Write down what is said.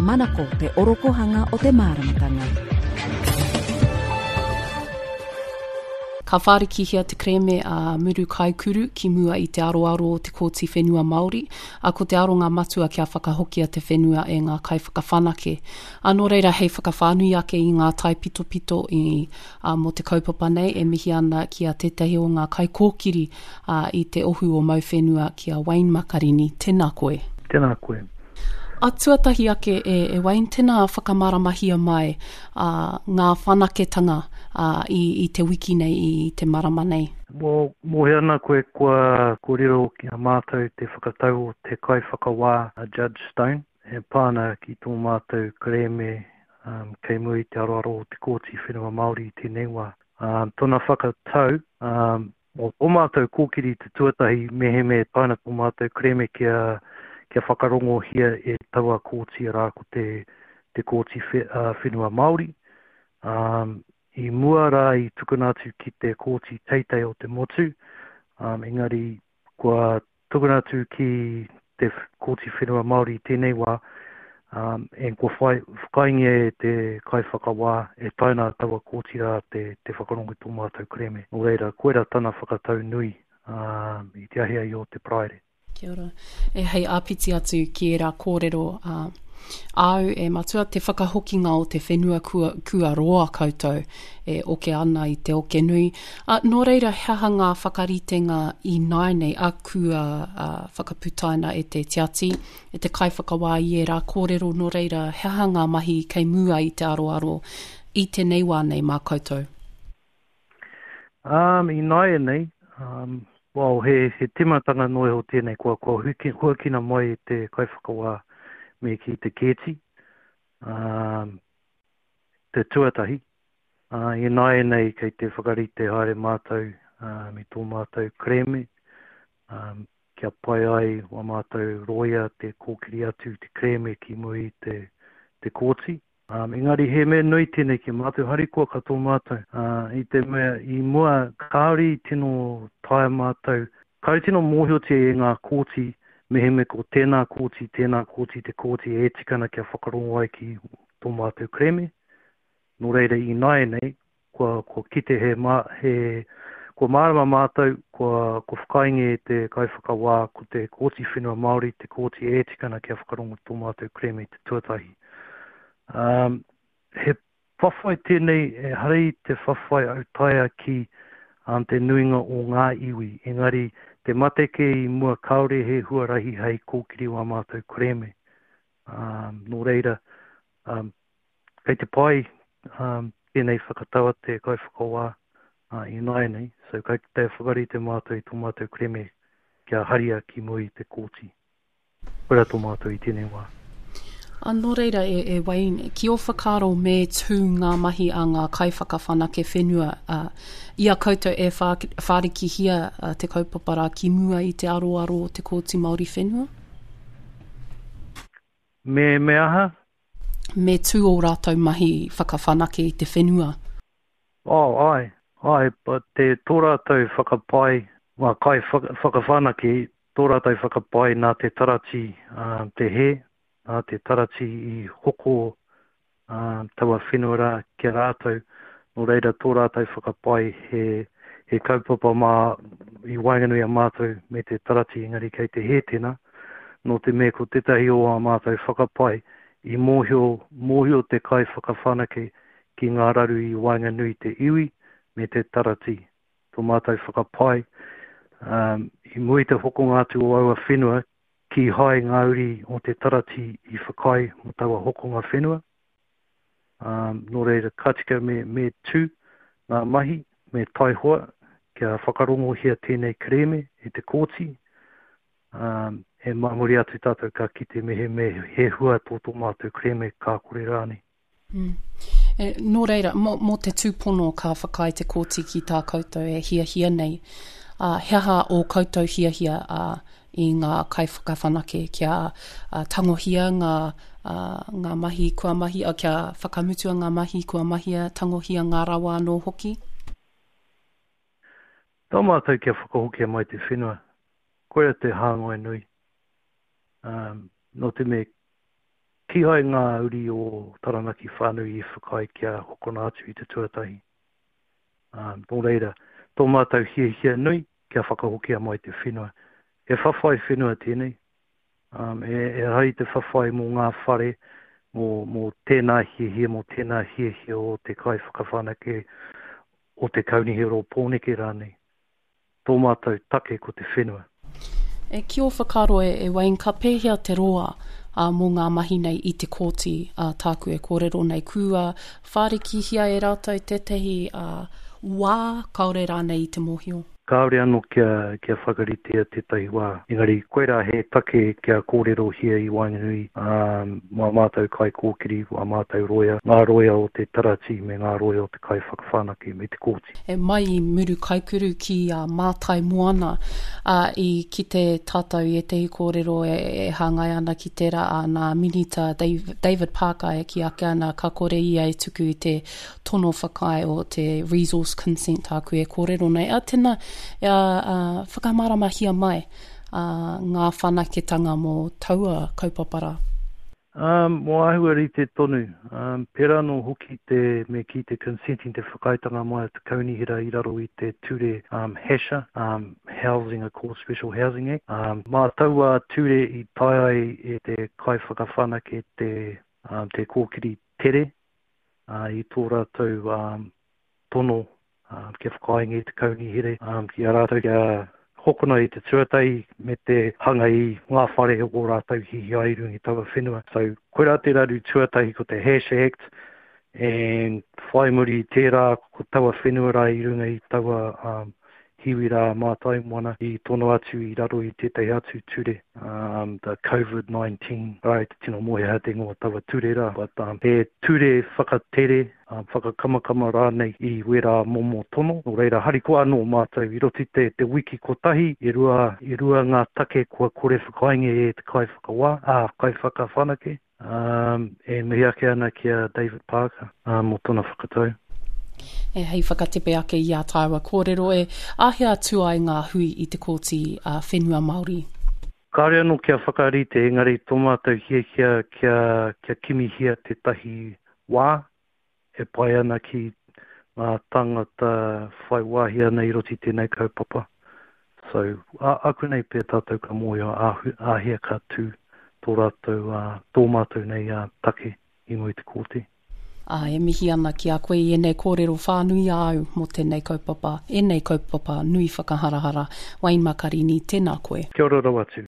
Manako te orokohanga o te māramatanga. Ka whārikihia te kerēme a Muru Kaikuru ki mua i te aroaro o te Kōti Whenua Māori, ā, ko te aronga matua kia whakahokia te whenua e ngā kaiwhakawhanake. Ā, nō reira, hei whakawhānui ake i ngā taipitopito i, ā, mō te kaupapa nei, e mihi ana ki a tētahi o ngā kaikōkiri, ā, i te ohu o Mauwhenua, ki a Wayne Makarini. Tēnā koe. Tēnā koe. A tuatahi ake e, e Wayne, tēnā whakamāramahia mai ā, ngā whanaketanga ā, i, i te wiki nei, i te marama nei. Mō, mōhio ana koe kua kōrero ki a mātou te whakatau o te kaiwhakawā a Judge Stone e pā ana ki tō mātou kerēme um, kei mua i te aroaro o te Kōti Whenua Māori i tēnei wā. Um, tōna whakatau, um, Mō tō mātou kōkiri te tuatahi mehemea e tae ana tō mātou kerēme kia, kia whakarongohia e taua kōti arā ko te, te Kōti Whenua Māori. Um, I mua rā i tukuna atu ki te Kōti Teitei o te Motu, um, engari kua Tukuna atu ki te Kōti Whenua Māori i tēnei wā, um, and kua whai, whakaaengia e te kaiwhakawā e tae ana taua kōti rā te, te whakarongo i tō mātou kerēme. Nō reira, koirā tana whakatau nui um, i te ahiahi o te Paraire. Kia ora. E hei āpiti atu ki ērā kōrero, uh, Āu, e Matua, te whakahokinga o te whenua kua, kua roa koutou e oke ana i te oke nui. A, nō reira, he aha ngā whakaritenga ināianei a kua a, whakaputaina e te tiati, e te kaiwhakawā i ērā kōrero, nō reira, he aha ngā mahi kei mua i te aroaro i tēnei wā nei mā koutou? Um, ināianei, um, well, he, he timatanga noa iho tēnei kua, kua huki, huakina mai e te kaiwhakawā me ki te kēti, um, te tuatahi. Uh, ināianei kei te whakarite haere mātou um, i tō mātou kerēme, um, kia pai ai wā mātou rōia te kōkiri atu te kerēme ki muri i te, te kōti. Um, engari he mea nui tēnei ki a mātou, harikoa katoa mātou, uh, i te mea i mua kāore i tino taea mātou, kāore tino mōhiotia e ngā kōti mehemea ko tēnā kōti, tēnā kōti, te kōti e tika ana kia whakarongo ai ki tō mātou kerēme. Nō reira ināianei, kua, kua kite he, mā, he, kua mārama mātou, kua, kua whakaaengia e te kaiwhakawā ko te Kōti Whenua Māori te kōti e tika ana kia whakarongo tō mātou kerēme i te tuatahi. Um, he whawhai tēnei, ehara i te whawhai autaia ki um, te nuinga o ngā iwi, engari te mate kē i mua kāore he huarahi hei kōkiri wā mātou kerēme. Um, nō reira, um, kei te pai um, tēnei whakatau a te kaiwhakawā uh, ināianei, so kei te whakarite mātou i tō mātou kerēme kia haria ki mua i te kōti. Koira tō mātou i tēnei wā. A, nō reira, e, e Wayne, ki ō whakaaro me tū ngā mahi a ngā kaiwhakawhanake whenua a, i a koutou e whā, whārikihia a, te kaupapa rā ki mua i te aroaro o te Kōti Māori Whenua? Me, me aha? Me tū ō rātou mahi whakawhanake i te whenua. Oh, āe, āe, but te, tō rātou whakapae, ngā kai whakawhanake, tō rātou whakapae nā te tarati te hē, nā te tarati i hoko taua whenua rā ki a rātou, nō reira tō rātou whakapae he, he kaupapa mā i waenganui a mātou me te tarati engari kei te hē tēnā, nō te mea ko tētahi o ā mātou whakapae i mōhio, mōhio te kaiwhakawhanake ki ngā raru i waenganui te iwi me te tarati. Tō mātou whakapae, um, i mua i te hokonga atu o aua whenua, kīhai ngā uri o te tarati i whakaae mō taua hokonga whenua. Um, nō reira, ka tika me, me tū ngā mahi, me taihoa kia whakarongohia tēnei kerēme e te kōti, um, e mā muri atu tātou ka kite mehemea he hua tō tō mātou kerēme ka kore rānei. Mm. E, nō reira, mō, mō te tūpono ka whakaae te kōti ki tā koutou e hiahia nei, ā, he aha ō koutou hiahia ā, i ngā kaiwhakawhanake kia ā, tangohia ngā, ā, ngā mahi kua mahi, ā, kia whakamutua ngā mahi kua mahia, tangohia ngā rawa anō hoki? Tā mātou kia whakahokia mai te whenua, koia te hāngai nui. Um, nō te mea. Kīhai ngā uri o Taranaki whānui i whakaae kia hokona atu i te tuatahi. Ā, nō reira, tō mātou hiahia nui kia whakahokia mai te whenua. He whawhai whenua tēnei. Ā, e, ehara i te whawhai mō ngā whare, mō, mō tēnā hiahia, mō tēnā hiahia o te kaiwhakawhanake, o te Kaunihera o Pōneke rānei. Tō mātou take ko te whenua. E, ki ō whakaaro e, e Wayne, ka pēhea te roa ā, mō ngā mahi nei i te kōti, ā, tāku e kōrero nei, kua whārikihia e rātou tētahi ā, wā, kāore rānei i te mōhio? Kāore anō kia, kia whakaritea tētahi wā. Engari, koirā he take kia kōrerohia i waenganui, ā, mā mātou kaikōkiri, wā mātou roia, ngā roia o te tarati me ngā roia o te kaiwhakawhanake me te kōti. E mai i Murukaikuru ki a Mātai Moana, ā, i kite tātou i ētahi kōrero e, e hāngai ana ki tērā, ā, nā Minita David Parker e kī ake ana ka kore ia e tuku i te tono whakaae o te resource consent tāku e kōrero nei. Ā, tēnā, ā, ā, whakamāramahia mai, ā, ngā whanaketanga mō taua kaupapa rā. Ā, mō āhua rite tonu, ā, pērā anō hoki te, me kī te consenting, te whakaaetanga mai a te Kaunihera i raro i te ture, ā, HASHA, ā, Housing Accord Special Housing Act, ā, mā taua ture i taea ai e te kaiwhakawhanake te, ā, te kōkiri tere, ā, i tō rātou, ā, tono kia whakaaengia te kaunihera ki a rātou kia hokona i te tuatahi me te hanga i ngā whare o rātou hihia ai i runga i taua whenua. So, koirā te raru tuatahi ko te Hash Act and whai muri i tērā ko taua whenua rā i runga i taua um, hiwi rā Mātaimoana i tono atu i raro i tētahi atu ture, um, the COVID-19, rā i te tino moe hea te ingoa taua ture rā, but um, he ture whakatere whakakamakama rānei i wērā momo tono. Nō reira, harikoa anō mātou i roto i te, te wiki kotahi, e rua, e rua ngā take kua kore whakaaengia e te kaiwhakawā, ā, kaiwhakawhanake, ā, e mihi ake ana ki a David Parker, ā, mō tōna whakatau. E, hei whakatepe ake i ā tāua kōrero e, āhea atu ai ngā hui i te Kōti ā, Whenua Māori? Kāore anō kia whakarite, engari tō mātou hiahia kia, kia kimihia tētahi wā e pai ana ki ngā tāngata whai wāhi ana i roto i tēnei kaupapa. So, ā, āku nei pea tātou ka mōhio āhu, āhea ka tū tō rātou, ā, tō mātou nei, ā, take i mua i te kōti. Ā, e mihi ana ki a koe i ēnei kōrero whānui āu mō tēnei kaupapa, ēnei kaupapa nui whakaharahara. Wayne Makarini, tēnā koe. Kia ora rawa atu.